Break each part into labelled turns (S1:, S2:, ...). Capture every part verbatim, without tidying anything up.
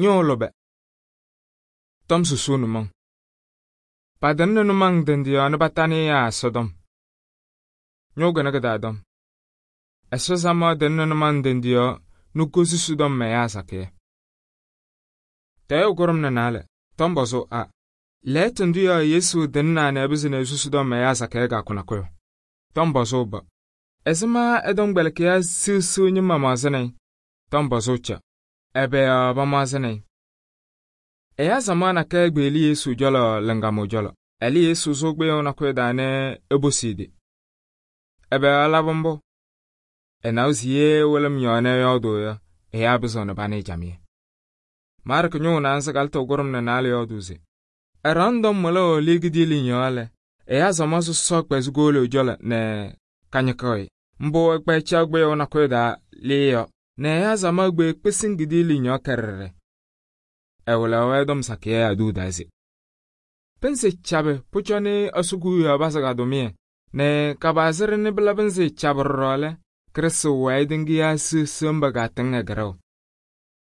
S1: ñʋʋ lʋbɛ. Tɔm susuu nʋmɔŋ. Padɩnɩ nʋmɔŋ ndɩ yɔɔ nɛ patanɩ yaa Ɛsɔtɔm. Ñʋʋ kɩnɛ kɩ-taa tɔm. Ɛsɔ samaɣ dɩnɩ nʋmɔŋ ndɩ yɔɔ nɛ kosusi tɔm ɛyaa sakɩyɛ. Tɛʋ kʋɖʋm nɛ naalɛ. Tɔm pɔzʋʋ A. Lɛɛtʋ ndʋ yɔɔ Yesu dɩnɩnaa nɛ ɛpɩzɩ nɛ esusi tɔm ɛyaa sakɩyɛ kɩyakʋ nakʋyʋ. Tɔm pɔzʋʋ B. Ɛzɩma ɛ-tɔmkpɛlɩkɩyaa siɣsiɣ ñɩma maɣzɩnɩ-ɩ? Tɔm pɔzʋʋ C. Ɛbɛ yɔɔ pamaɣzɩnɩ-ɩ? Ɛyaa samaɣ nakɛyɛ kpeɣli Yesu cɔlɔ lɩŋgamʋʋ cɔlɔ. Ɛlɛ Yesu sʋ kpɩyʋʋ nakʋyʋ taa nɛ eposi-i. Ɛbɛ yɔɔ ɛlabɩ mbʋ? Ɛnawa se ye wɩlɩm yɔɔ nɛ ɛyɔɔdʋʋ yɔ, ɛyaa pɩzɩɣnɩ panɩ camɩyɛ. Maarkɩ ñʋʋ naanza kalɩtʋ kʋɖʋm nɛ naalɛ yɔɔdʋʋ se: ɛɖaɣnɩ tɔm wɩlʋʋ lɩɩ kidiiliŋ yɔɔ lɛ, ɛyaa samaɣ sɔsɔ kpɛzɩ kowolo ɛ-cɔlɔ nɛ kañɩkɩɣ-ɩ. Mbʋ ɛkpɛɛ caɣ kpɩyʋʋ nakʋyʋ taa lɩɩ yɔ, nɛ ɛyaa samaɣ kpeɣ kpɩsɩŋ kidiiliŋ yɔɔ kɛrɛrɛ. Ɛwɩlaɣ-wɛ tɔm sakɩyɛ aduu taa se: pɩnzɩ cabɩ pʋcɔ nɩ Ɛsɔ Kewiyaɣ pazɩ ka-tʋmɩyɛ nɛ kabaazɩrɩ nɩ pɩlabɩ nzɩ cabɩ ɖɔɖɔ lɛ, Krɩstʋ wɛɛ tɩŋɩyaa siɣsiɣ mba kaatɩŋ ɛgɩrɛʋ.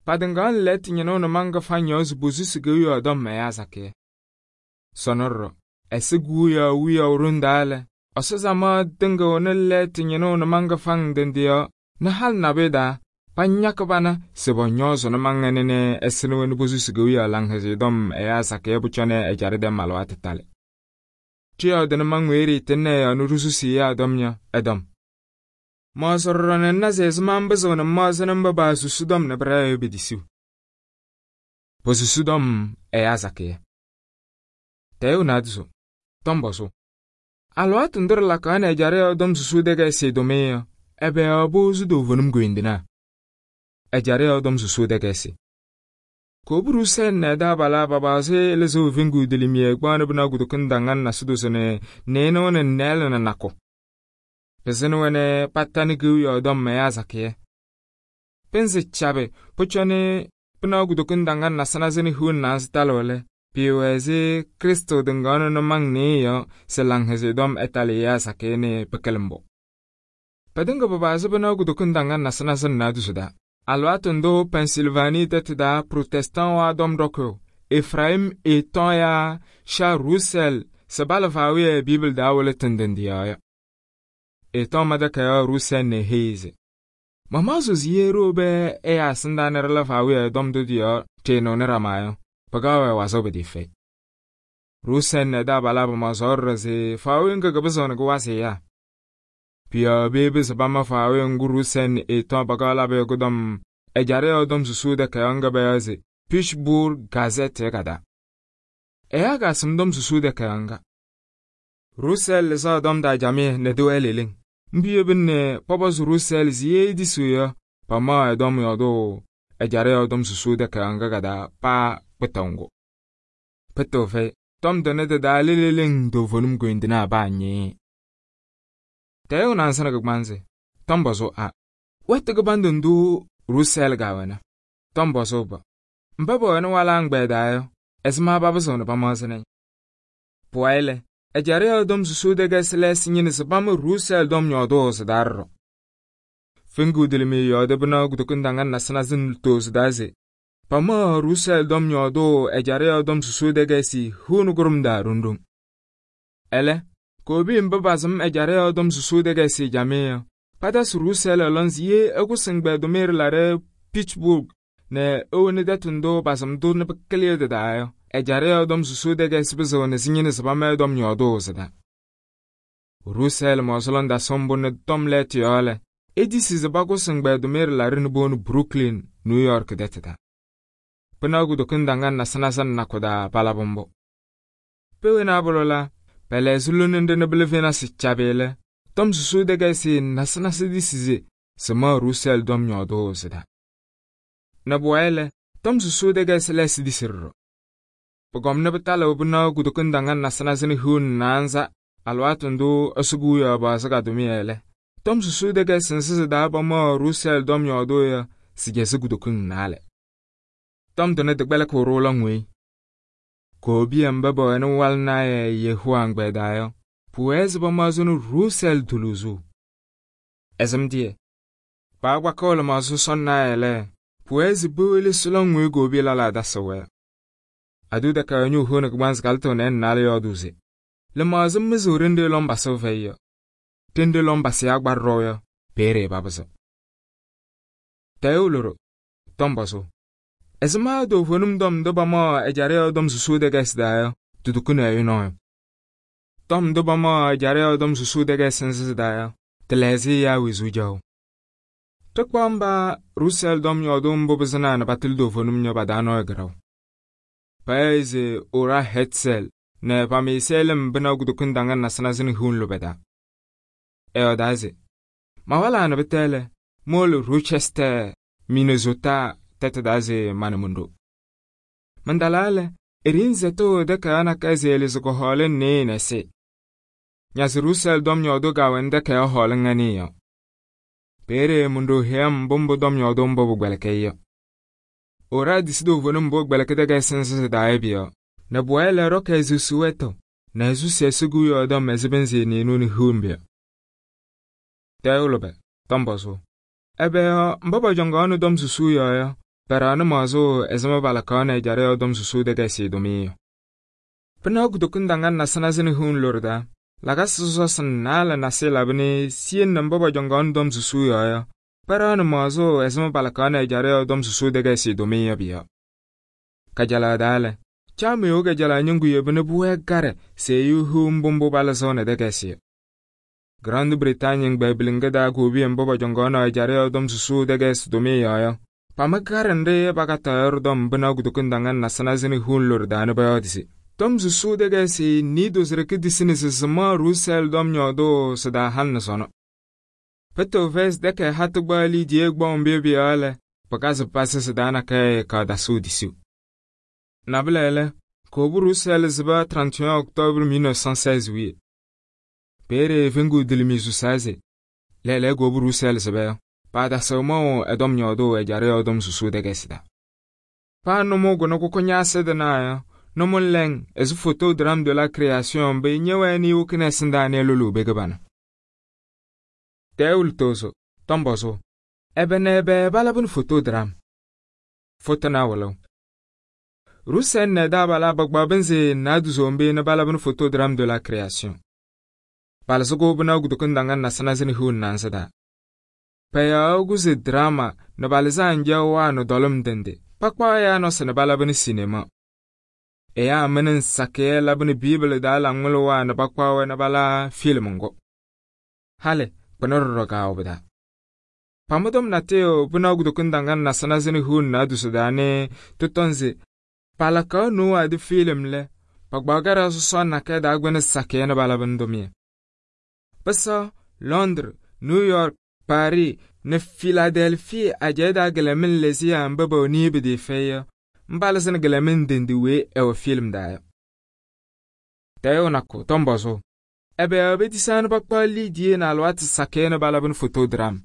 S1: Patɩŋaɣnɩ lɛɛtʋ ñɩnʋ nʋmɔŋ kɩfaŋ yɔɔ se posusi Kewiyaɣ tɔm ɛyaa sakɩyɛ. Sɔnɔ ɖɔɖɔ, Ɛsɔ Kewiyaɣ wiyaʋ ɖoŋ taa lɛ, Ɛsɔ samaɣ tɩŋɩɣnɩ lɛɛtʋ ñɩnʋ nʋmɔŋ kɩfaŋ ndɩ ndɩ yɔɔ nɛ halɩ nabʋyʋ taa pañakɩ pana se pɔñɔɔzɩ nʋmɔŋ ɛnɛ nɛ ɛsɩnɩ-wɛ nɛ posusi Kewiyaɣ Laŋhɛzɩyɛ Tɔm ɛyaa sakɩyɛ pʋcɔ nɛ ɛjaɖɛ tɛm alɩwaatʋ talɩ. Ɖɩyɔɔ dɩ nʋmɔŋ weyi ɖɩɩtɩŋnɩ ɛ-yɔɔ nɛ ɖɩsusi ɛyaa tɔm yɔ, ɛtɔm. Maɣzɩ ɖɔɖɔ nɛ ŋna se ɛzɩma mbɩzɩɣnɩ mmaɣzɩnɩ mba paasusi tɔm nɛ pɩɖɛɣ yɔ pe-tisiɣ. Posusi tɔm ɛyaa sakɩyɛ. Tɛʋ naadozo. Tɔm pɔzʋʋ. Alɩwaatʋ ndʋ ɖɩlakaɣ nɛ ɛjaɖɛ yɔɔ tɔm susuu tɛkɛɛsɩ tʋmɩyɛ yɔ, ɛbɛ yɔɔ powozu toovenim koyindinaa? Ɛjaɖɛ yɔɔ tɔm susuu tɛkɛɛsɩ. Koobu Ruusɛl nɛ ɛ-taabalaa papaɣzɩ Ɛlɩzɩ weveŋgu dɩlɩmɩyɛ kpaɣnɩ bɩna kʋdʋkɩŋ daŋaŋ nasɩ dozo nɛ nɩɩnʋ nɛ nɛɛlɩ nɛ nakʋ. Pɩzɩnɩ-wɛ nɛ patanɩ Kewiyaɣ tɔm ɛyaa sakɩyɛ. Pɩnzɩ cabɩ pʋcɔ nɩ bɩna kʋdʋkɩŋ daŋaŋ nasɩ-nasɩ nɛ hiu nɛ naanzɩ talɩɣ lɛ, pɩɩwɛ ɛzɩ Krɩstʋ tɩŋaɣnɩ nʋmɔŋ nɩɩyɩ yɔ se Laŋhɛzɩyɛ Tɔm ɛtalɩ ɛyaa sakɩyɛ nɛ pɩkɩlɩ mbʋ. Pɩtɩŋa pɩpaɣzɩ bɩna kʋdʋkɩŋ daŋaŋ nasɩ-nasɩ nɛ naadozo taa. Alɩwaatʋ ndʋ Pennsylvanie tɛtʋ taa Protestant-wã tɔm dɔkʋyʋ Efraim eetɔɔ yaa Charles Russell se balɩ faawɩyɛ Bibli daa wɩlɩtɩ ndɩ ndɩ yɔɔ yɔ. Eetɔɔ madakayaɣ Russell nɛ eheyi se: mamaɣzɩ se ye ɖo bɛ ɛyaa sɩndaa nɛ ɖɩla faawɩyɛ tɔm ndʋ dɩ yɔɔ tɩɩnʋʋnɩ ɖama yɔ, pɩkaɣ-wɛ wazɩɣ pɩtɩɩfɛyɩ. Russell nɛ ɛ-taabalaa pamaɣzaɣ ɖɔɖɔ se faawɩyɛ ŋga kɩpɩzɩɣnɩ kɩwazɩ ɛyaa. Pɩyɔɔ beebi se pama faawɩyɛ ŋgʋ Russell nɛ eetɔɔ pakaɣ labɩ yɔ kʋdɔm ɛjaɖɛ yɔɔ tɔm susuu tɛkayaɣ ŋga bɛyɔɔ se Pittsburgh Gazette yɔ ka-taa. Ɛyaa kaasɩm tɔm susuu tɛkayaɣ ŋga. Russell lɩzaɣ tɔm taa jamɩyɛ nɛ tɩwɛɛ leleŋ. Mbʋ yebina nɛ pɔpɔzɩ Russell se ye edisiɣ yɔ, pamaɣ ɛ-tɔm yɔɔdʋʋ ɛjaɖɛ yɔɔ tɔm susuu tɛkayaɣ ŋga ka-taa paa kpɩtɩɣ ŋgʋ. Pɩtɩɣ fɛyɩ, tɔm tɩnɩ tɩ-taa leleŋ toovenim koyindinaa baa nyɩɩ. Tɛʋ naanza nɛ kɩgbaanzɩ. Tɔm pɔzʋʋ A. Wɛtʋ kɩbandʋ ndʋ Russell gaawɛna? Tɔm pɔzʋʋ B. Mba pɛwɛnɩ walaa ŋgbɛɛ daa yɔ, ɛzɩma papɩzɩɣnɩ pamaɣzɩnɩ-ɩ? Pʋwayɩ lɛ, ɛjaɖɛ yɔɔ tɔm susuu tɛkɛɛsɩ lɛɛsɩ ñɩnɩ se pamɩ Russell tɔm yɔɔdʋʋ sɩ-taa ɖɔɖɔ. Feŋgu dɩlɩmɩyɛ yɔɔdɩ bɩna kʋdʋkɩŋ daŋaŋ nasɩ-nasɩ nʋ sɩ-taa se pamaɣ Russell tɔm yɔɔdʋʋ ɛjaɖɛ yɔɔ tɔm susuu tɛkɛɛsɩ huunɩ kʋɖʋm daa ɖoŋ-ɖoŋ. Ɛlɛ, koobi mba pasɩm ɛjaɖɛ yɔɔ tɔm susuu tɛkɛɛsɩ jamɩyɛ yɔ, patasɩ Russell lɔn se ye ɛkʋsɩ ŋgbɛɛ tʋmɩyɛ ɖɩlaɖɛ Pittsburgh nɛ ewoni tɛtʋ ndʋ pasɩm-tʋ nɛ pɩkɩlɩ tɩ-taa yɔ, ɛjaɖɛ yɔɔ tɔm susuu tɛkɛɛsɩ pɩzɩɣnɩ sɩ ñɩnɩ sɩ pama ɛ-tɔm yɔɔdʋʋ sɩ-taa. Russell mɔɔsɩlɔn dasɩ mbʋ nɛ tɔm lɛɛtʋ yɔɔ lɛ, edisi se pakʋsɩ ŋgbɛɛ tʋmɩyɛ ɖɩlaɖɛ nɛ boonu Brooklyn, New York tɛtʋ taa. Pɩna kʋdʋkɩŋ daŋaŋ nasɩ-nasɩ nɛ nakʋ daa palabɩ mbʋ. Pewena abʋlʋ la, pɛlɛɛzɩ lone nɖɩ nɛ bɩlɩ venasɩ cabɩ lɛ, tɔm susuu tɛkɛɛsɩ nasɩ-nasɩ disi se sɩmaɣ Russell tɔm yɔɔdʋʋ sɩ-taa. Nɛ bʋwayɩ lɛ, tɔm susuu tɛkɛɛsɩ lɛɛsɩ disi ɖɔɖɔ. Pʋgɔmnɩ pɩtalɩ bɩna kʋdʋkɩŋ daŋaŋ nasɩ-nasɩ nɛ hiu nɛ naanza alɩwaatʋ ndʋ Ɛsɔ Kewiyaɣ paɣzɩ ka-tʋmɩyɛ lɛ, tɔm susuu tɛkɛɛsɩ nsɩ sɩ-taa pamaɣ Russell tɔm yɔɔdʋʋ yɔ sɩ-jɛsɩ kʋdʋkɩŋ naalɛ. Tɔm tɩnɩ tɩkpɛlɩkɩɣ rʋʋla ŋweyi. Koobiya mba pɛwɛnɩ walɩnaayɛ Yehowa ŋgbɛɛ daa yɔ, pʋwɛɛ se pamaɣzɩnɩ Russell tʋlʋʋzʋ. Ɛzɩm dɩyɛ, paakpakɩɣ lɩmaɣzɩ sɔnnaayɛ lɛ, pʋwɛɛ se pewele sʋlɔŋ weyi goobi lɛlaa tasɩ-wɛ. Adʋ takayaɣ ñʋʋ hooni kɩgbaanzɩ kalɩtɩɣ nɛ naalɛ yɔɔdʋʋ se: lɩmaɣzɩm mɩzɩɣ ɖenɖe lɔm pasɩɣ fɛyɩ yɔ. Ɖenɖe lɔm pasɩyaa gbarɩ ɖɔʋ yɔ, peeye papɩzɩ. Tɛʋ lʋɖɔ, tɔm pɔzʋ. Ɛzɩma toovenim tɔm ndʋ pamaɣ ɛjaɖɛ yɔɔ tɔm susuu tɛkɛɛsɩ daa yɔ, tɩtukuni ɛyʋ nɔɔyʋ. Tɔm ndʋ pamaɣ ɛjaɖɛ yɔɔ tɔm susuu tɛkɛɛsɩ nzɩ daa yɔ, tɩlɛɣzɩ ɛyaa wezuu jaʋ. Ɖɩkpaɣ mba Rusɛɛl tɔm yɔɔdʋ mbʋ pɩzɩnaa nɛ patɩlɩ toovenim yɔ pa-taa nɔɔyʋ kɩɖaʋ. Payaɣ se Ora Hetzɛl nɛ pamɩɩsɩ lɩm bɩna kutoku ndaŋa nasɩnasɩ nɛ hiu lʋbɛ taa. Ɛyɔɔdaa se: mawalaa nɛ pɩtɛ lɛ, mowolo Rochester, Minnesota tɛtʋ daa se ma nɛ mon-ɖo. Mandalaa lɛ, eriin zɛtʋ takayaɣ nakɛyɛ se ɛlɩzɩ kʋhɔɔlɩŋ nɩɩyɩ nɛ sɩ. Ñasɩ Rusɛɛl tɔm yɔɔdʋ gaawɛnɩ takayaɣ hɔɔlɩŋ ŋanɩɩ yɔ. Peeye mon-ɖo heyam mbʋ mbʋ tɔm yɔɔdʋ mbʋ pʋgbɛlɩkɩ yɔ. Ora disi toovenim mbʋ gbɛlɩkɩ tɛkɛɛsɩ nzɩ daa yɔ bɩ-yɔɔ, nɛ bʋwɛɛ lɛ rɔkɛ ɛzʋsɩ wɛtʋ nɛ ɛzʋsɩ ɛsɩgʋ yɔɔdɔm ɛzɩ bɩnzɩ nɩɩnʋ nɛ hiu mbɩ. Tɛʋ lʋbɛ, tɔm pɔzʋ. Ɛbɛ yɔ mba pɔjɔŋaɣnɩ tɔm susuu yɔɔ yɔ, pɛɖɛɣnɩ maɣzʋ ɛzɩma palakaɣnɩ ɛjaɖɛ yɔɔ tɔm susuu tɛkɛɛsɩ tʋmɩyɛ yɔ. Pɩnaɣ kutoku ndaŋa nasɩnasɩ nɛ hiu lʋrɩ daa, lakasɩ sɔsɔsɩ naalɛ nasɩ labɩnɩ siyen nɛ mba pɔjɔŋaɣnɩ tɔm susuu yɔɔ yɔ, pɛɖɛɣnɩ maɣzʋ ɛzɩma palakaɣnɩ ɛjaɖɛ yɔɔ tɔm susuu tɛkɛɛsɩ tʋmɩyɛ bɩ-yɔ. Kajalaɣ daa lɛ, caamɩyʋ kajalaɣ ñɩŋgʋ yebɩ bʋwɛɛ garɛ se ɛyʋ hiu mbʋ mbʋ palɩzɩɣnɩ tɛkɛɛsɩ yɔ. Grande Bretagne gbɛɛbiliŋga daa goobiye mba pɔjɔŋaɣnɩ ɛjaɖɛ yɔɔ tɔm susuu tɛkɛɛsɩ tʋmɩyɛ yɔɔ yɔ, pamɩ garɛ nɖɩ pakataɣ tɔm bɩna kutoku ndaŋa nasɩnasɩ nɛ hiu lʋrɩ daa nɛ pɔyɔɔdɩ se: tɔm susuu tɛkɛɛsɩ niido sɩrɩkɩ disini sɩ sɩmaɣ Rusɛɛl tɔm yɔɔdʋ sɩ-daa halɩ sɔnɔ. Pɩtɩ vɛs dɛkɛ hatɩ gbaɣ liidiye gbɔŋ bɩ bɩ-yɔɔ lɛ, pɩkazɩ pasɩ sɩ-daa nakɛyɛ kaadasɩw disiw. Nabɩlɛ lɛ, koobu Rusɛɛl zɩba trente et un octobre mille neuf cent seize wiye. Peere feŋgu dilimi susaa se: lɛɛlɛɛ koobu Rusɛɛl zɩba yɔ, paadasɩw maɣʋ ɛtɔm yɔɔdʋ ɛjaɖɛ yɔɔ tɔm susuu tɛkɛɛsɩ daa. Paa nʋmʋ gʋnɩ kʋkʋ nyaasɩ dɩnaa yɔ, nʋmʋ lɛŋ ɛzɩ photodrame de la création bɩ nyɛwɛɛnɩ wʋkɩnɛ ɛsɩndaa nɛ lʋlʋ bɩ gɩbana. Tɛʋ lʋtʋʋzʋ, tɔm pɔzʋ. Ɛbɛ nɛ ɛbɛ balabɩnɩ photodrame? Fʋtɩna wʋlʋ. Rusɛɛl nɛ daabalaa bagbaɣ bɩnzɩ naadʋzombe nɛ balabɩnɩ photodrame de la création. Palɩzɩgʋ bɩna kutoku ndaŋa nasɩnasɩ nɛ hiu nansɩ daa. Payaɣ gʋzɩ drama nɛ balɩzɩ anjaɣ waa nɛ dɔlʋm dɩndɩ, pakpaɣ ɛyaa nɔsɩ nɛ balabɩnɩ sinema. Ɛyaa mɩnɩ nsakɩyɛ labɩnɩ Biibli daa laŋmɩlɩ waa nɛ pakpaɣ wɛ nɛ bala film ŋgʋ. Halɩ kpɩnɩ ɖɔɖɔ gaawʋ bɩ-daa. Pamɩtɔm natɩyʋ bɩna kutoku ndaŋa nasɩnasɩ nɛ hiu naadʋsɩ daa nɩ tɩtɔŋ sɩ palakaɣ nʋʋ adɩ film lɛ, pagbaɣ garɛ sɔsɔ nakɛ daa gbɩnɩ sakɩyɛ nɛ balabɩnɩ dʋmɩyɛ. Pɩsɔ Londres, New York, Paris nɛ Philadelphie ajɛɛ daa gɛlɛmɩn lɛzɩya mba ba nii bɩ dɩ fɛyɩ yɔ, mbalɩsɩ nɛ gɛlɛmɩn dɩndɩ wee ɛwɔ film daa yɔ. Tɛʋ nakʋ, tɔm pɔzʋ. Ɛbɛ yɔ bɛtisaanɩ pakpaɣ liidiye nɛ alɩwaatɩ sakɩyɛ nɛ balabɩnɩ photodrame?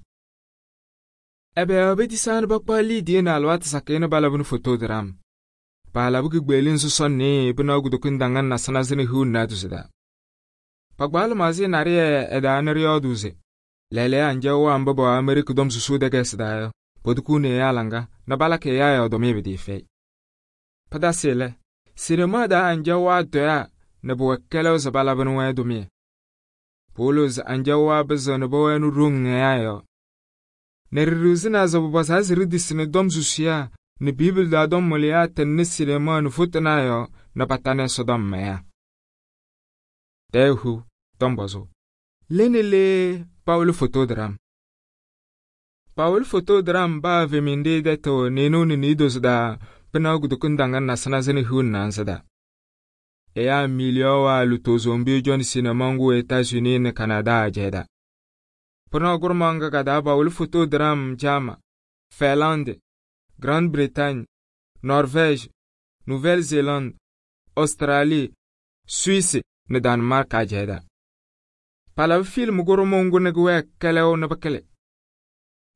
S1: Ɛbɛ yɔ bɛtisaanɩ pakpaɣ liidiye nɛ alɩwaatɩ sakɩyɛ nɛ balabɩnɩ photodrame? Paalabɩ kɩgbeelin sɔsɔ nɩɩ bɩna kutoku ndaŋa nasɩnasɩ nɛ hiu naadʋsɩ daa. Pagbaɣ lɩmaɣzɩ narɩyɛ ɛdaa nɩ rɩyɔɔdʋ se: lɛɛlɛɛ anjaɣ waa mba ba Amerikɩ tɔm susuu tɛkɛɛsɩ daa yɔ, potukuni ɛyaa laŋa nɛ balakɩ ɛyaa yɔɔdʋmɩ bɩ dɩ fɛyɩ. Pɩdasɩ lɛ, sinema daa anjaɣ waa dɔya nɛ bʋwɛ kɛlɛw zɩ balabɩnɩ wɛ dʋmɩyɛ. Polo zɩ anjaɣ waa bɩzɩ nɛ bɔwɛnɩ roŋ ɛyaa yɔ. Nɛ rɩrɩwzɩna zɩ bʋbɔsaa zɩ rɩdisɩnɩ tɔm susuyaa nɛ Biibli daa tɔm mʋlɩyaa tɩnɩ sinema nɛ fʋtɩna yɔ nɛ patanɩ Ɛsɔtɔm mɛyaa. Tɛʋ tɔm pɔzʋ. Lene le Paul photodrame. Paul photodrame baa veminde dɛtɔ nɩɩnʋ nɛ niidos daa pɩna kutoku ndaŋa nasɩnasɩ nɛ hiu nansɩ daa. Ɛyaa miliyɔ waa lʋtʋʋzombe jɔnɩ sinema ŋgʋ États-Unis nɛ Canada ajɛɛ daa. Pɩna gʋrmaŋga ka daa Paul photodrame Jama, Finlande, Grande Bretagne, Norvège, Nouvelle-Zélande, Australie, Suisse nɛ Danmark ajɛɛ daa. Palabɩ film gʋrmʋ ŋgʋ nɩ gʋwɛ kɛlɛw nɩ bɩkɩlɩ.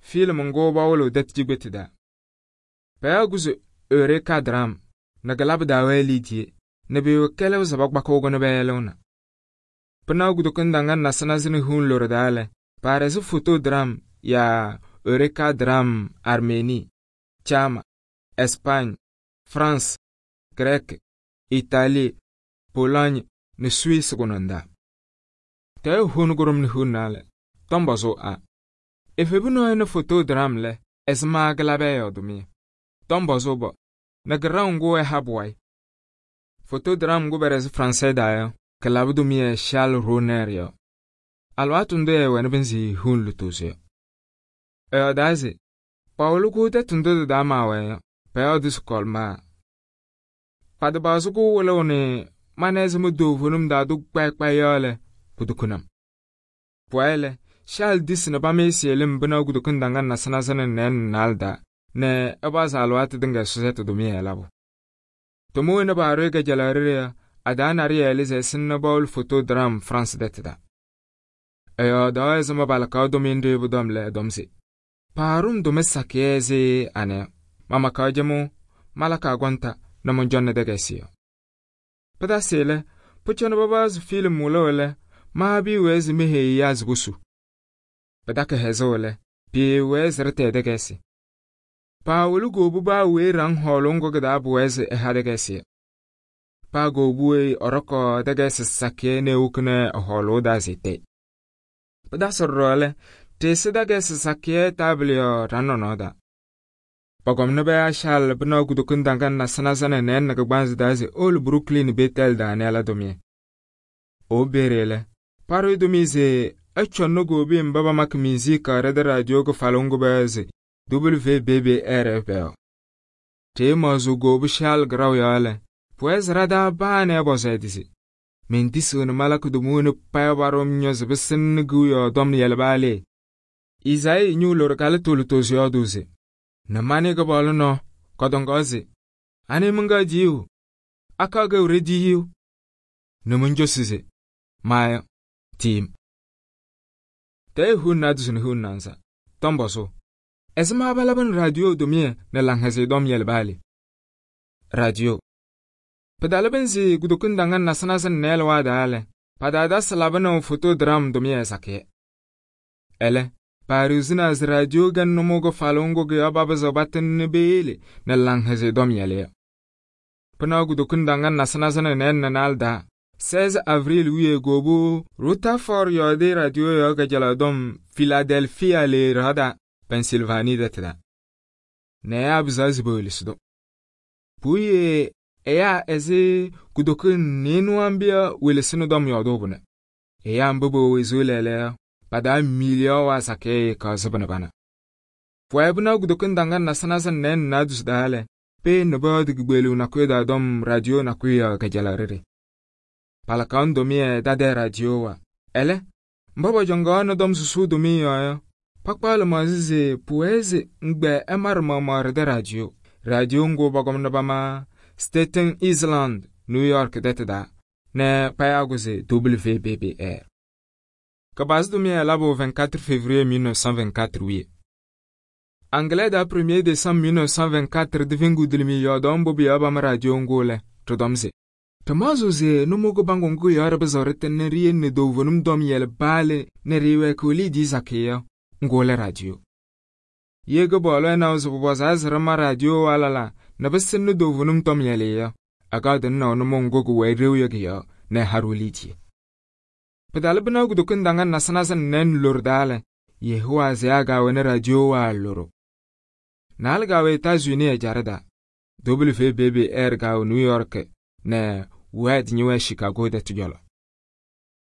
S1: Film ŋgʋ bawʋlʋ dat jigbeti daa. Pɛya gʋzɩ Eureka drame nɛ gɩlabɩ daa wɛ liidiye nɛ bɩ kɛlɛw zaba gbakʋʋgʋ nɩ bɛɛlʋna. Pɩna kutoku ndaŋa nasɩnasɩ nɩ hiu lʋrɩ daa lɛ, paarɛzɩ photodrame yaa Eureka drame Arménie, Chama, Espagne, France, Grek, Italie, Pologne ni Suisse gununda. Tɛɛ hun gurum ni hunnale, tombozo a. Efebu no ene photodram le, ezma glabe yodumi. Tombozo bo, na graungu e habwai. Photodram gu berez français da yo, ke labdumi e Charles Roner yo. Alwatunde e wene benzi hun lutuzi yo. E odazi, Paulu gu te tundu da ma we yo, pe odis kolma. Padabazu gu wole one, manezi mu dovunum da du kwe kwe yole, kudukunam. Pwele, Charles dis ne ba mesi elim bina kudukundangan na sanazane nen nalda, ne ebaz alwati dinga suzet dumi e labo. Tomu ne ba rege jalaria, adan ari elize sinna baul photodram France detida. Eyo da ezma balakaw dominde budom le domsi. Parum dome sakiezi ane, mama kajemu, malaka gwanta, na monjonne degesiyo. Pada sele, puchona babaz film mulole, ma bi wezi mehe yaz gusu. Pada ke hezole, pi wezi rete degesi. Pa wulu gobu ba we rang holongo gada buwezi eha degesi. Pa gobu we oroko degesi sakye ne ukne holo da zite. Pada sorrole, te se degesi sakye tablio ranonoda. Pagom ne baya shal bina kudukundangan na sanazane nen na gbanzi dazi ol Brooklyn Betel da nela domi. O berele, paro domi ze, echon no gobi mbaba mak mizika reda radio go falongo bazi, W B B R F B. Te mazu gobi shal graw yale, pues rada ba ne boze disi. Men disu ne malak dumune paya barom nyoz besin guyo dom yelbale. Izai nyu lorgale tulutozi yoduzi. Na mani ga bolu no, kodongozi. Ani munga jiu. Aka ga ure jiu. Na munjo size. Maya. Team. Te hun na duzun hun nanza. Tomboso. Ezma balaban radio domie na langhaze dom yelbali. Radio. Padalaban zi gudukundangan na sanasan nel wada ale. Padada salabana photodram domie sakye. Ele. Paruzina z radio gan nomogo falongo ge ababa zobaten nebele na langhaze dom yale. Pana gudukundangan na sanazana nen na nalda. seize avril wiye gobu ruta for yode radio yoga jaladom Philadelphia le rada Pennsylvania detda. Ne abzaz bolisdo. Puye eya eze gudukun nenu ambia wilesino dom yodobune. Eya mbobo wezulele pada milio wa sake ka zubana bana. Fwebuna gudukundangan na sanazan nen nadus dale, pe nabad gbelu na kweda dom radio na kwea kajalarere. Palakan domie dade radio wa. Ele, mbaba jongana dom susu domie ya. Pakpala mazize pueze ngbe emar mamar de radio. Radio ngo bagom nabama Staten Island, New York deteda, ne payaguze W B B R. Kabaz domie labo vingt-quatre février mille neuf cent vingt-quatre oui. Anglais da premier décembre mille neuf cent vingt-quatre devingu dilmi yodom bobi abam radio ngole, todomze. Tomazuze numogo bangongu yarab zorete ne rien ne dovonum dom yel bale ne riwe kuli dizakeya, ngole radio. Yego bolo na uzubwazaz rama radio walala, na besin ne dovonum dom yeleya, agaden na numongo gwe riwe ne haruliti. Pedal bina gudukundangan na sanazan nen lurdale, yehuwa zeaga wene radio wa loro. Nalgawe Etats-Unis e jarada, W B B R gaw New York, ne wed niwe Chicago de tujolo.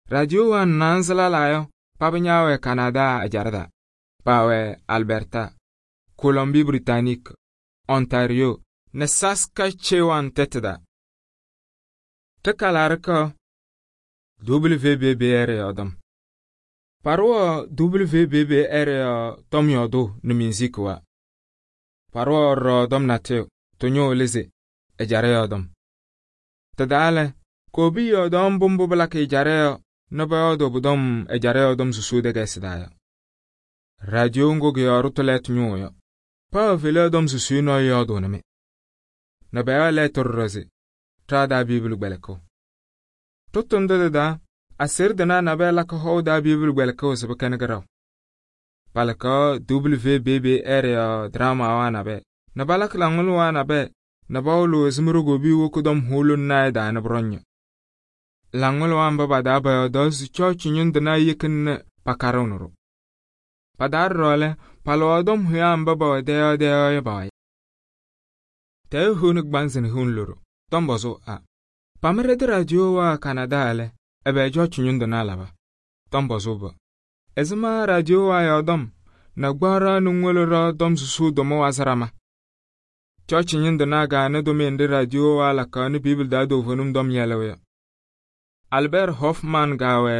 S1: Radio wa nanzala layo, pabanyawe Canada e jarada, pawe Alberta, Colombie-Britannique, Ontario, ne Saskatchewan teteda. Tekalarka W B B R yodom. Parwa W B B R tom yodo ne musique wa. Parwa ro dom nateo, tonyo leze, e jare yodom. Tadale, kobi yodom bumbu balak e jare naba yodo budom e jare yodom susude gesidaya. Radio ngo ge arutolet nyoyo. Pa vele yodom susu no yodo neme. Naba ya letter roze, trada biblu beleko. Totondo da, asir dana naba la ka ho da biblu beleko zebekene garaw. Palaka W B B R ya drama wa nabe, nɛ balakɩ laŋʋlʋwaa nabɛyɛ nɛ bawɩlɩ wɛzɩm rogobiyu woki-dɔm hʋʋlʋn naayɛ daa nɛ bʋrɔŋ. Laŋʋlʋwaa mba pa-taa pɔyɔɔdaɣ se cɔɔcɩ ñʋŋ tɩnaa yekina nɛ pakarɩɣnɩ-ɖʋ. Pa-taa ɖɔɖɔ lɛ, palɩɣaɣ tɔm hʋyaa mba pɛwɛ dɛyɔɔ dɛyɔɔ yɔ pa-wayɩ. Tɛɛyɛ hiu nɛ kɩbanzɩ nɛ hiu loɖo. Tɔm pɔzʋʋ a. Pama ɖɛ-tɩ radio waa Kanadaa lɛ, ɛbɛ cɔɔcɩ ñʋŋ tɩnaa laba? Tɔm pɔzʋʋ bɛ. Ɛzɩma radio waa yɔɔdɔm nɛ gbaɣraa nɛ ŋwolo ɖɔ tɔm susuu tʋma wazɩ ɖama. Cɔɔcɩ ñʋŋ tɩnaa gaanɩ tʋmɩyɛ nɖɩ radio waa lakaɣ nɛ Biibli taa toovenim tɔm yɛlɩɣ yɔ. Albert Hoffman gaawɛ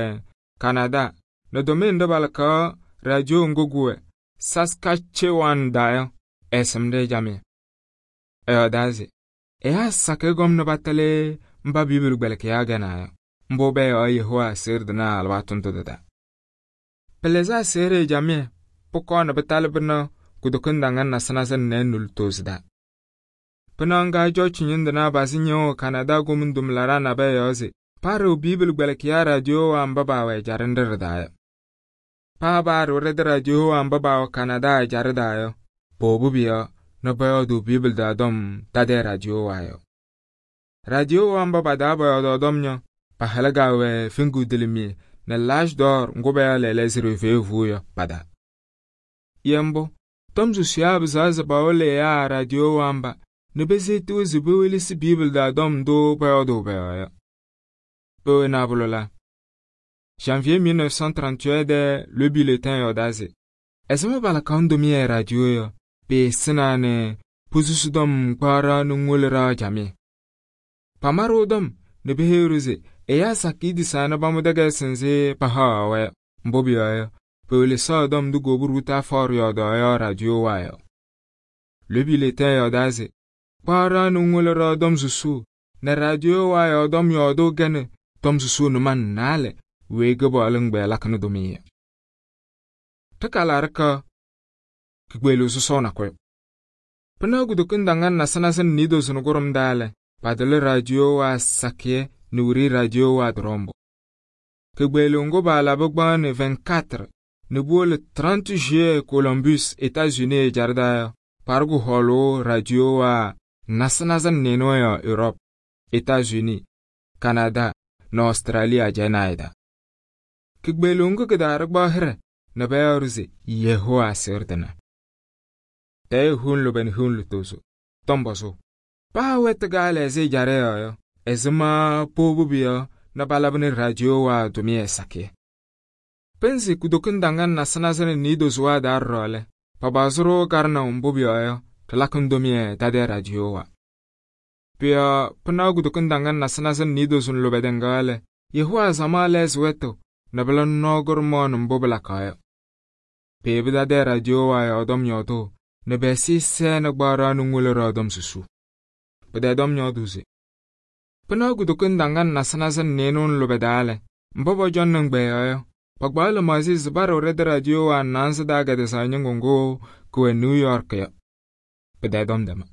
S1: Kanadaa nɛ tʋmɩyɛ nɖɩ balakaɣ radio ŋgʋ gʋwɛ Saskatchewan daa yɔ, ɛɛsɩmdɩ camɩyɛ. Ɛyɔɔdaa se ɛyaa sakɩ gɔm nɛ batalɩ mba Biibli gbɛlɩkɩyaa gɛnaa yɔ, mbʋ bɛyɔɔ Yehowa aseɣɖe tɩnaa alɩwaatʋ ndʋ tɩ-taa. Pɩlɩzɩ aseɣɖe camɩyɛ pʋkɔɔ nɛ pɩtalɩ pɩnaɣ kʋdʋkɩŋ daŋan nasɩ-nasɩ nɛ nɛɛn nʋlɩtoosi daa. Pɩnaɣ ŋga cɔɔcɩ ñʋŋ tɩnaa bazɩ ñɩɣʋ Kanadaa gomiŋ tʋmlaɖaa nabɛyɛ yɔɔ se paɖɩɣ Biibli gbɛlɩkɩyaa radio waa mba baawɛ ɛjaɖɛ nɖɩ ɖɩ-taa yɔ. Paa baaɖɩɣ ɖɛ-tɩ radio waa mba baawɛ Kanadaa ɛjaɖɛ daa yɔ, pʋʋbʋ pʋ-yɔɔ nɛ pɔyɔɔdʋʋ Biibli daa tɔm tadɩ radio waa yɔ. Radio waa mba pa-taa pɔyɔɔdʋʋ tɔm yɔ, pahalɩ gaawɛ Fiŋgudilimiye nɛ Laasdɔɔr ŋgʋ bɛyɔɔ lɛɛlɛɛ se Reveevuu yɔ pa-taa. Yɛ mbʋ, tɔm susuyaa pɩzaɣ se pawɩlɩ ɛyaa radio waa mba nɛ peseetiɣ se pewelesi Biibli daa tɔm ndʋ pɔyɔɔdʋʋ pɛ-yɔɔ yɔ. Pewena bʋlʋ la. Janvier mille neuf cent trente-huit dɛ le bulletin yɔɔdaa se ɛzɩma balakaɣ tʋmɩyɛ radio yɔ, peesɩna nɛ posusi tɔm gbaɣraa nɛ ŋwolo ɖaa camɩyɛ. Pamarɩɣ tɔm nɛ peheyi-ɖʋ se ɛyaa sakɩyɛ tisaa nɛ pamʋ tɛkɛɛsɩ nzɩ pahaɣaɣ-wɛ yɔ, mbʋ pʋyɔɔ yɔ, pewelesaɣ tɔm ndʋ Gobu Rutherford yɔɔdaɣ yɔ radio waa yɔ. Le bulletin yɔɔdaa se gbaɣraa nɛ ŋwolo ɖaa tɔm susuu nɛ radio waa yɔ tɔm yɔɔdʋʋ gɛnɩ tɔm susuu nɛ man naalɛ wee Kɩpaɣlʋ ɛgbɛyɛ lakɩnɩ tʋmɩyɛ. Tɩkalaarɩka kikpeɣliɣ sɔsɔɔ nakʋyʋ. Pɩnaɣ kʋdʋkɩŋ daŋan nasɩ-nasɩ nɛ niidosi nɛ kʋrʋm daa lɛ, padɩlɩ radio waa sakɩyɛ nɛ wiri radio waa tɩrɔmbʋ. Kikpeɣliɣ ŋgʋ baalabɩ gbaɣnɩ vingt-quatre nɛ buwole trente juillet Columbus, États-Unis ɛjaɖɛ daa yɔ, parɩ kʋhɔɔlʋʋ radio waa nasɩ-nasɩ nɩɩnʋ yɔ Europe, États-Unis, Canada nɛ Australie ajɛnaayɛ daa. Kikpeɣliɣ ŋgʋ kɩdaarɩ gbaɣ hɩrɛ nɛ bɛyɔɔdʋ se Yehowa aseɣɖe tɩnaa. Tɛɛyɛ hiu lʋbɛ nɛ hiu lʋtooso. Tɔm pɔzʋʋ. Paa wɛtɩ gaalɛ ɛzɩ ɛjaɖɛ yɔɔ yɔ, ɛzɩma pʋʋbʋ pʋ-yɔɔ nɛ balabɩnɩ radio waa tʋmɩyɛ sakɩyɛ. Pɩnzɩ kʋdʋkɩŋ daŋan nasɩ-nasɩ nɛ niidosi waa daa ɖɔɖɔ lɛ, pabazɩ-ɖʋ karɩnaw mbʋ pʋ-yɔɔ yɔ, tɩlakɩŋ tʋmɩyɛ tadɩ radio waa. Pʋ-yɔɔ pɩnaɣ kʋdʋkɩŋ daŋan nasɩ-nasɩ nɛ niidosi nɛ lʋbɛ tɩŋgaɣ lɛ, Yehowa zamaa lɛɛsɩ wɛtʋ nɛ bɩla nɔɔ gʋrʋmɔɔ nɛ mbʋ bɩlakaɣ yɔ. Peebi tadɩ radio waa yɔɔdɔm yɔɔdʋʋ nɛ bɛɛsɩ sɛɛ nɛ gbaɣraa nɛ ŋwolo ɖaa tɔm susuu. Pɩdɛɛdɔm yɔɔdʋʋ se pɩnaɣ kʋdʋkɩŋ daŋan nasɩ-nasɩ nɛ nɩɩnʋ nɛ lʋbɛ daa lɛ, mba pɔcɔŋnɩ ŋgbɛɛyɔ yɔ, pagbaɣ lɩmaɣzɩ se barɩɣ ɖɛ-tɩ radio waa naanzɩ daa gɛdɩsaɣ ñɩŋgʋ ŋgʋ kʋwɛ New York yɔ. Pɩdɛɛdɔm dɛma.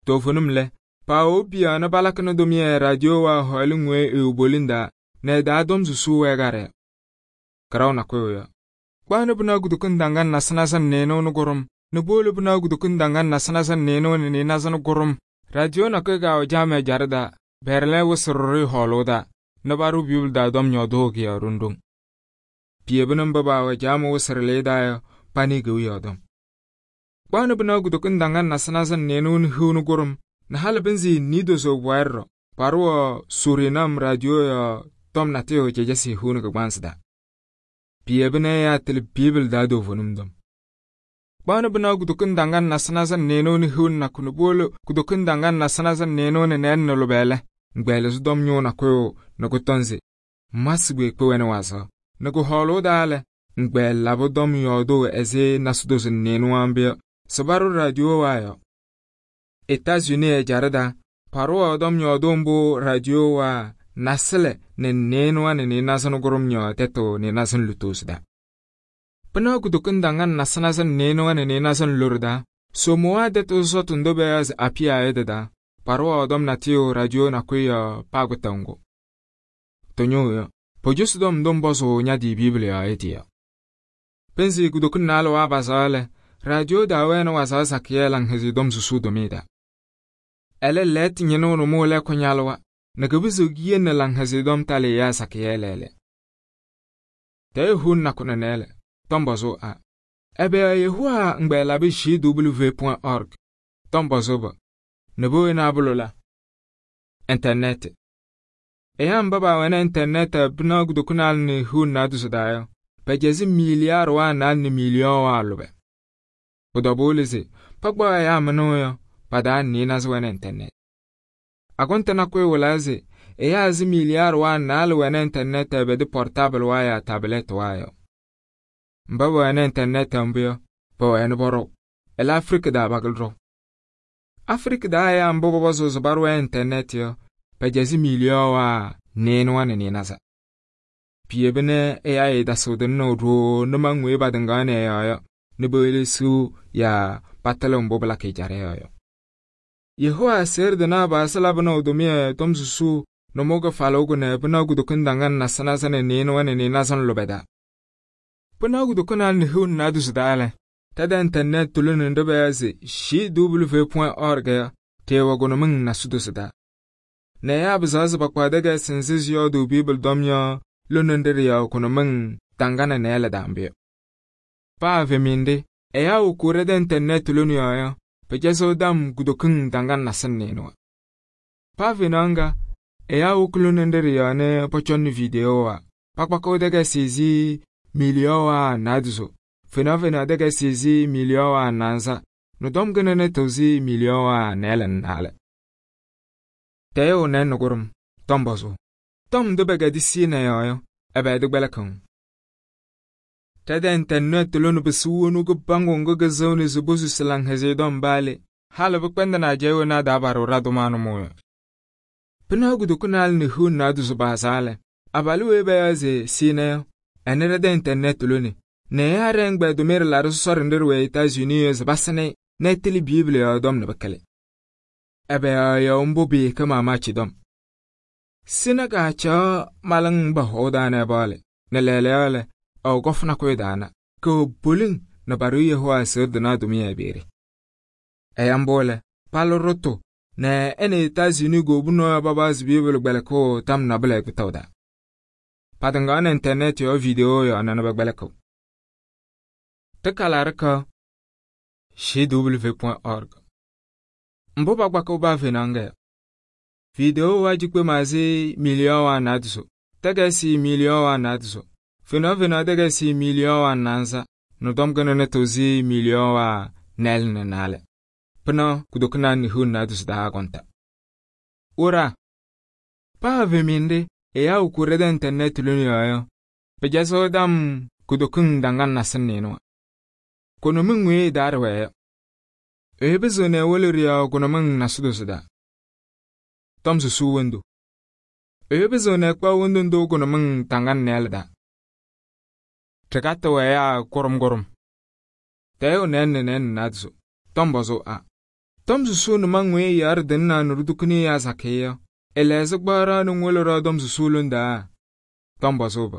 S1: Toovenim lɛ, paawo piya nɛ balakɩnɩ tʋmɩyɛ radio waa hɔɔlɩ ŋwee eewobolin daa nɛ daa tɔm susuu wɛ garɛ yɔ. Kɩraw nakʋyʋ yɔ. Gbaɣnɩ pɩnaɣ kʋdʋkɩŋ daŋan nasɩ-nasɩ nɛ nɩɩnʋ nɛ gʋrʋm nɛ boole pɩnaɣ kʋdʋkɩŋ daŋan nasɩ-nasɩ nɛ nɩɩnʋ nɛ nɩɩnazɩ nɛ gʋrʋm. Radio nakʋyʋ gaawɛ jaamɛ ɛjaɖɛ daa, bɛɛrɩlɛ wɩsɩrɩ hɔɔlʋʋ daa nɛ barʋ Biibli daa tɔm yɔɔdʋʋ kɩyɔɔ ɖoŋ-ɖoŋ. Piyebɩnɩ mba baawɛ jaamɛ wɩsɩrɩlɩ daa yɔ, panɩ gewi yɔɔdɔm. Gbaɣnɩ pɩnaɣ kʋdʋkɩŋ daŋan nasɩ-nasɩ nɛ nɩɩnʋ nɛ hiu nɛ gʋrʋm nɛ halɩ pɩnzɩ niidosi bʋwɛɛ ɖɔ, parɩ wɔ Surinam radio yɔ tɔm natɩyʋ cɛjɛsɩ hiu nɛ kɩgbansɩ daa. Piyebɩnɩ ɛyaa tɩlɩ Biibli daa toovenim tɔm. Gbaɣnɩ pɩnaɣ kʋdʋkɩŋ daŋan nasɩ-nasɩ nɛ nɩɩnʋ nɛ hiu nɛ nakʋ nɛ boole kʋdʋkɩŋ daŋan nasɩ-nasɩ nɛ nɩɩnʋ nɛ nɛɛn nɛ lʋbɛ lɛ, ŋgbɛɛlɩzɩ tɔm nyʋʋ nakʋyʋ nɛ kʋtɔŋ se masɩ kpeekpe wɛnɩ wazɩɣ nɛ kʋhɔɔlʋʋ daa lɛ, ŋgbɛɛl labɩ tɔm yɔɔdʋʋ ɛzɩ nasɩdosi nɛ nɩɩnʋ waa mbɩ yɔ, sɩ barʋ radio waa yɔ. États-Unis ɛjaɖɛ daa, parɩ wɔ tɔm yɔɔdʋʋ mbʋ radio waa nasɩlɛ nɛ nɩɩnʋwa nɛ nɩɩnazɩ nɛ gʋrʋm yɔɔ tɛtʋ nɩɩnazɩ nɛ lʋtoosi daa. Pɩnaɣ kʋdʋkɩŋ daŋan nasɩ-nasɩ nɛ nɩɩnʋwa nɛ nɩɩnazɩ nɛ loɖo daa, somowa tɛtʋ zɔtʋ ndʋ bɛyɔɔ se apɩya yɔ tɩ-daa, parɩ wɔ tɔm natɩyʋ radio nakʋyʋ yɔ paa kʋtɛŋgʋ. Tʋnyʋʋ yɔ, pɔjʋsɩ tɔm ndʋ mbɔzʋ ñadɩ Biibli yɔɔ yɩ tɩ yɔ. Pɩnzɩ kʋdʋkɩŋ naalʋ waa bazaɣ lɛ, radio daa wɛɛnɩ wazaɣ sakɩyɛ Laŋhɛzɩyɛ Tɔm Susuu tʋmɩyɛ taa. Ɛlɛ lɛɛtɩ ñɩnʋʋ nʋmɔɔ lɛ kʋ-ñalʋwa nɛ kɩpɩzɩɣ kiyele Laŋhɛzɩyɛ Tɔm talɩ ɛyaa sakɩyɛ lɛɛlɛ. Tɛɛyɛ huun nakʋ nɛ nɛɛlɛ, tɔm pɔzʋʋ a. Ɛbɛ Yehowa ŋgbɛɛ labɩ J W point org, tɔm pɔzʋʋ bɔ, nɛ bowena abʋlʋ la. Internet. Ɛyaa mba baawɛnɩ internet pɩnaɣ kutokunaa nɩ huun naaduzu daa yɔ, pɛjɛzɩ miliyaar waa naal nɩ miliyɔɔ waa lʋbɛ. Pʋ-tɔbʋʋ se pakpaɣ ɛyaa mɩnʋʋ yɔ, padaa nɩɩnazɩ wɛnɩ internet. Agʋntɩ nakʋyʋ wɩlaa se ɛyaa zɩ miliyaar waa naal wɛnɩ internet bɛdɩ portable waa yaa tablet waa yɔ. Mba wɛnɩ internet mbʋ yɔ, pɛwɛnɩ bɔrɔw. Ɛlɛ Afrika daa bagɩlɩ ɖɔw. Afrika daa ɛyaa mbʋ pɔpɔzɩɣ se barʋ internet yɔ, pɛjɛzɩ miliyɔɔ waa nɩɩnʋwa nɩ nɩɩnaza. Piyebɩ nɛ ɛyaa yɩdasɩɣdɩnɩ ɖoo nɩmaŋ weyi badɩŋaɣnɩ ɛ-yɔɔ yɔ, nɩ bewelesiɣ yaa patɩlɩ mbʋ bɩlakɩ jarɛ yɔ. Yehowa seerdɩnaa baasɩ labɩnɩ ʋ-tʋmɩyɛ Tɔm Susuu nʋmɔɔ kɩfalʋʋ kʋnɛ pɩnaɣ kutoku daŋan nasɩ-nasɩ nɩ nɩɩnʋwa nɩ nɩɩnazɩ lʋbɛ daa. Pɩnaɣ kutokunaa nɩ huun naaduzu daa lɛ, tɛdɛ internet tʋlɩnɩ nɖɩ bɛya se J W point org yɔ, tɩɩwɛ kʋnʋmɩŋ nasɩ-dosi daa. Nɛ ɛyaa bɩzaɣ se pakpaɣ dɛgɛɛsɩ nzɩ zɩyɔɔdʋʋ Biibli dɔm yɔ lone nɖɩ ɖɩ-yɔɔ kʋnʋmɩŋ daŋganɩ nɛɛlɛ daambɩ yɔ. Paa veminde, ɛyaa wʋkʋʋ dɛdɛ internet tʋlɩnɩ yɔɔ yɔ, pɛjɛzɩɣ dam kutokiŋ daŋgan nasɩ nɩɩnʋwa. Paa venaɣ ŋga, ɛyaa wʋkʋ lone nɖɩ ɖɩ-yɔɔ nɩ pɔcɔnɩ video wa, pakpakɩɣ dɛgɛɛsɩ zɩ miliyɔɔ waa naaduzu, fenaɣ fenaɣ dɛgɛɛsɩ zɩ miliyɔɔ waa naanza, nʋ dɔm gɩnɩnɩ tɩ zɩ miliyɔɔ waa nɛɛlɛ nɩ naalɛ. Tɛɛyɛ wʋnɛ nʋgʋrʋm, tɔm pɔzʋʋ. Tɔm ndʋ bɛgɛdɩ sɩɩnɛ yɔɔ yɔ, ɛbɛ dɩ gbɛlɛkɩŋ? Tɛdɛ internet tʋlɩnɩ bɩsɩ wonu kɩbaŋgʋ ŋgʋ kɩzɩɣnɩ sɩ bosusi Laŋhɛzɩyɛ Tɔm baale, halɩ bɩkpɛndɩnɩ ajɛɛ wena daa barɩ radʋmaa nʋmɔɔ yɔ. Pɩnaɣ kutokunaa nɩ huun naaduzu baazaa lɛ, abalʋ weyi bɛya se sɩɩnɛ yɔ, ɛnɩ dɛdɛ internet tʋlɩnɩ, nɛ ɛyaa rɛ ŋgbɛɛ tʋmɩyɛ laɖɩ sɔsɔrɩ nɖɩ ɖɩwɛ Etas-Unis yɔ sɩ basɩnɩ nɛ ɛtɩlɩ Biibli yɔɔ dɔm nɩ bɩkɩlɩ. Ɛbɛ yɔɔ mbʋ bɩɩkɛ maamaachɩ dɔm. Sɩna kaacaɣ malɩŋ ba hɔɔ daa nɛ bɔɔlɩ, nɛ lɛɛlɛɛyɔ lɛ, ɔɔ gɔfʋ nakʋyʋ daana, kɛwɛ poliŋ nɛ barɩ Yehowa seerdɩnaa tʋmɩyɛ beere. Ɛya mbʋ lɛ, palʋ rʋtʋ nɛ ɛ nɛ Etas-Unis gobunɔ babaazɩ Biibli gbɛlɛkʋʋ tam nabɩlɛ gbɩtaʋ daa. Padɩŋaɣnɩ internet yɔɔ video yɔɔ nɛ bɛ gbɛlɛkʋ. Tɩkalarɩkɔ J W point org. Mbʋ pagbakɩ baa venaɣ ŋga yɔ. Video wa jikpe maazɩ miliyɔɔ waa naaduzu, dɛgɛɛsɩ miliyɔɔ waa naaduzu, fenaɣ fenaɣ dɛgɛɛsɩ miliyɔɔ waa naanza, nʋ dɔm gɩnɩnɩ tɩ zɩ miliyɔɔ waa nɛɛlɛ nɩ naalɛ. Pɩnaɣ kutokunaa nɩ huun naaduzu daa agɔnta. Wʋra, paa veminde, ɛyaa wʋkʋʋ dɛdɛ internet tʋlɩnɩ yɔɔ yɔ, pɛjɛzɩɣ dam kutokiŋ daŋgan nasɩ nɩɩnʋwa. Kʋnʋmɩŋ weyi daa ɖɩwɛɛ yɔ. Ɛyɩbɩzɩɣ nɛ wole ɖɩ-yɔɔ kʋnʋmɩŋ nasɩ-dosi daa. Tɔm Susuu wendo. Ɛyɩbɩzɩɣ nɛ kpaɣ wendo ndʋ kʋnʋmɩŋ daŋgan nɛɛlɛ daa. Tɩkatɩ wɛ ɛyaa kʋrʋm-kʋrʋm. Tɛɛyɛ wʋnɛ nɩ nɛɛ nɩ naaduzu, tɔm pɔzʋʋ a. Tɔm Susuu nɩmaŋ weyi yaarɩ dɩnɩna nʋ ɖʋdʋkʋnɩ ɛyaa sakɩyɛ yɔ, ɛlɛɛzɩ gbɔɔrɔ nɩ ŋwolo ɖɔ Tɔm Susuu londaa? Tɔm pɔzʋʋ bɔ.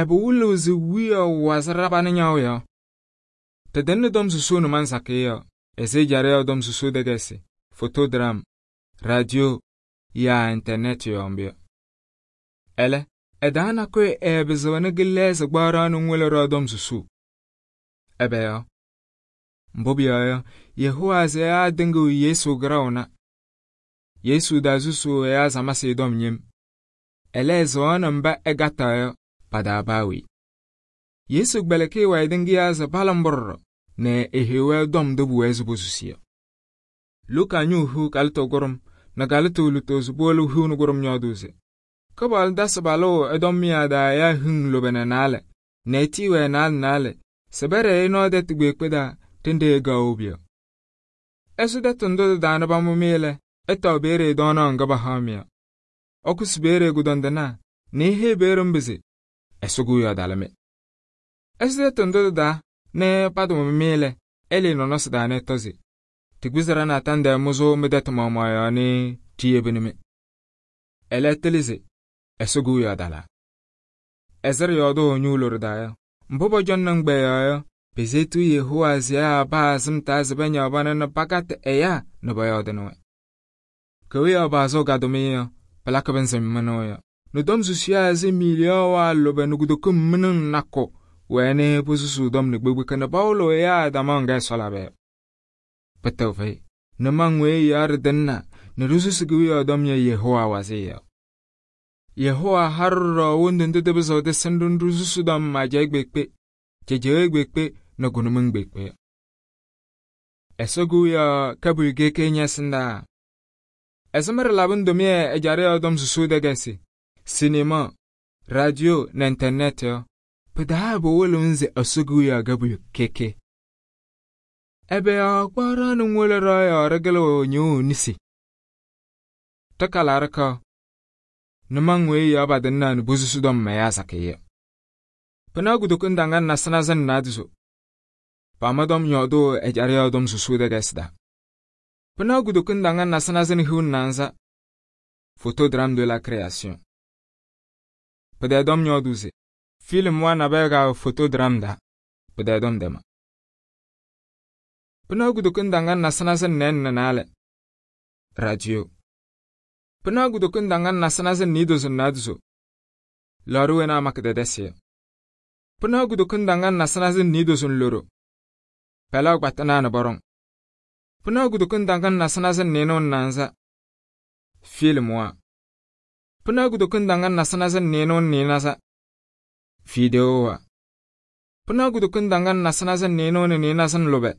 S1: Ɛbɛ wʋlɩɣ zɩ wiya wazɩ rabanɩ ñaw yɔ? Tɩdɩnɩ Tɔm Susuu nɩmaŋ sakɩyɛ yɔ, ɛzɩ jarɩyɔ Tɔm Susuu dɛgɛɛsɩ, fotogram, radio, yaa internet yɔɔ mbɩ yɔ. Ɛlɛ, ɛdaa nakʋyʋ ɛɛbɩzɩɣnɩ gɩlɛɛzɩ gbɔɔrɔ nɩ ŋwolo ɖɔ Tɔm Susuu. Ɛbɛ yɔ? Mbʋ bɩyɔɔ yɔ, Yehowa zɛ ɛyaa dɩŋɩɣ Yesu gɩraʋna. Yesu daa zusuu ɛyaa zamasɩ dɔm nyem. Ɛlɛ ɛzɩɣnɩ mba ɛgataɣ yɔ, padaa baawey. Yesu gbɛlɛkɩ wɛ dɩŋgɩyaa zɛ balɩmbʋrʋrɔ, nɛ ehewa dɔm dɩ bʋwɛ zɩ bosusi yɔ. Luka nyʋʋ hu kalɩtɔ gʋrʋm, nɛ kalɩtɔ lutozo boolɩ hu nʋgʋrʋm nyɔɔdʋʋ se, Kɩpaɣlʋ dasɩ balʋ ɛdɔm mɩyaa daa ɛyaa hɩŋ lʋbɛ nɛ naalɛ, nɛ ɛtɩɩwɛ naalɛ naalɛ, sɩ bɛrɛ nɔɔ dɛtɩ kpeekpe daa, tɩndɩ ɛgawo bɩyɔ. Ɛsʋ dɛtɩ ndʋ dɩ-daa nɩ bamʋmɩ lɛ, ɛtaw beere dɔɔnɔ ŋga bahaɣ-mɩ yɔ. Ɔkʋsɩ beere kʋdɔndɩnaa, nɩ ehe beere mbɩ se, ɛsʋ gu yɔdalɩmɩ. Ɛsʋ dɛtɩ ndʋ dɩ-daa nɩ padʋmɩmɩ lɛ, ɛlɩ nɔnɔsɩ daa nɩ ɛtɔ ze, tɩgbɩzɩra natandɛ mʋzʋ mɩ dɛtɩ mɔmɔ yɔ nɩ tɩyebɩnɩmɩ. Ɛlɛ tɩlɩ ze, ɛsʋ gu yɔdala. Ɛzɩrɩ yɔɔdʋ nyuulʋ dɩ-daa yɔ, mbʋ bɔjɔnɩ ŋgbɛɛ yɔɔ yɔ, Pesetu Yehowa ziyaa paa sɩm-taa se pañaɣ pana nɛ pakatɩ ɛyaa nɛ pɔyɔɔdɩnɩ-wɛ. Kewiyaɣ paɣzʋʋ ka-tʋmɩyɛ yɔ, pɩlakɩ pɩnzɩ mɩnʋʋ yɔ. Nɛ tɔm susuu ɛzɩ miliyoowaa lʋbɛ nɛ kutokim mɩnɩŋ nakʋ wɛnɩ posusuu tɔm nɛ kpekpeka nɛ pawɩlɩɣ ɛyaa damaɣ ŋga Ɛsɔ labɩ yɔ. Pɩtɛɣ fɛyɩ. Nʋmɔŋ weyi ɛyaɣ ɖɩtɩŋna nɛ ɖisusi kewiyaɣ tɔm yɔ Yehowa wazɩyɛ yɔ. Yehowa ha-ɖʋ ɖɔɖɔ wondu ndʋ tɩpɩzɩɣ tɩsɩnɩ-ɖʋ nɛ ɖisusi tɔm ajɛɛ kpeekpe, cejewe kpeekpe nɛ kʋnʋmɩŋ kpeekpe yɔ. Ɛsɔ kewiyaɣ ka-pʋyʋ keke ñɛsɩndaa. Ɛzɩma ɖɩlabɩnɩ tʋmɩyɛ ɛjaɖɛ yɔɔ tɔm susuu tɛkɛsɩ, sinema, radio nɛ internet yɔ, pɩ-taa pɩwɩlɩɣ se Ɛsɔ kewiyaɣ ka-pʋyʋ keke. Ɛbɛ yɔɔ kpaɣ ɖaɣnɩ ŋwolo ɖɔɔ yɔɔ ɖɩkɩlɩɣ ñɩɣʋ nisi. Tɩkala ɖɩkaɣ. Nʋmɔŋ weyi yɔɔ patɩŋnaa nɛ posusu tɔm ɛyaa sakɩyɛ. Pɩnaɣ kutoku ndaŋa nasɩ-nasɩ nɛ naadozo. Pama tɔm yɔɔdʋʋ ɛjaɖɛ yɔɔ tɔm susuu tɛkɛsɩ taa. Pɩnaɣ kutoku ndaŋa nasɩ-nasɩ nɛ hiu naanza. Photodrame de la création. Pɩdɛɛ tɔm yɔɔdʋʋ se film wa nabɛyɛ ka photodrame daa. Pɩdɛɛ tɔm dɛma. Pɩnaɣ kutoku ndaŋa nasɩ-nasɩ nɛ nɛɛn nɛ naalɛ. Radio. Pɩnaɣ kutoku ndaŋa nasɩ-nasɩ nɛ niidozo nɛ naadozo. Lɔɔrɩ wena makɩ dɛdɛsɩ yɔ. Pɩnaɣ kutoku ndaŋa nasɩ-nasɩ nɛ niidozo nɛ loro. Pɛlɛɣ kpatɩnaa nɛ bɔrɔŋ. Pɩnaɣ kutoku ndaŋa nasɩ-nasɩ nɛ nɩɩnʋʋ nɛ naanza. Film wa. Pɩnaɣ kutoku ndaŋa nasɩ-nasɩ nɛ nɩɩnʋʋ nɛ nɩɩnaza. Video wa. Pɩnaɣ kutoku ndaŋa nasɩ-nasɩ nɛ nɩɩnʋʋ nɛ nɩɩnaza nɛ lʋbɛ.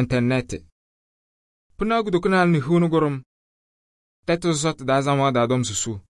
S1: Internet. Pɩnaɣ kutoku naal nɛ hiu nɛ kʋrʋm. Tɛtʋ sɔsɔtʋ daa zamaɣ daa tɔm susuu.